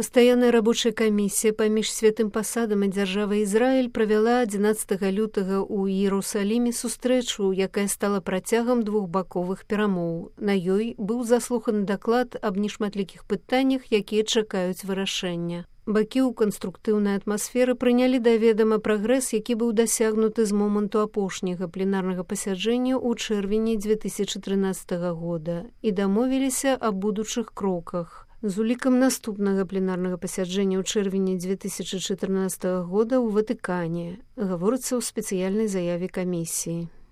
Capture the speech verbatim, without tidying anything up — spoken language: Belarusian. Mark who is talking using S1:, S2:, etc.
S1: Пастаянная рабочая камісія паміж святым пасадам і дзяржавай Ізраіль правяла адзінаццатага лютага ў Іерусаліме сустрэчу, якая стала працягам двухбаковых перамоў. На ёй быў заслуханы даклад аб нешматлікіх пытаннях, якія чакаюць вырашэння. Бакі ў канструктыўнай атмасферы прынялі да ведама прагрэс, які быў дасягнуты з моманту апошняга пленарнага пасяджэння ў чэрвені дзве тысячы трынаццатага года і дамовіліся аб будучых кроках. З улікам наступнага пленарнага пасяджэння ў чэрвені дзве тысячы чатырнаццатага года ў Ватыкане, гаворыцца ў спецыяльнай заяве камісіі.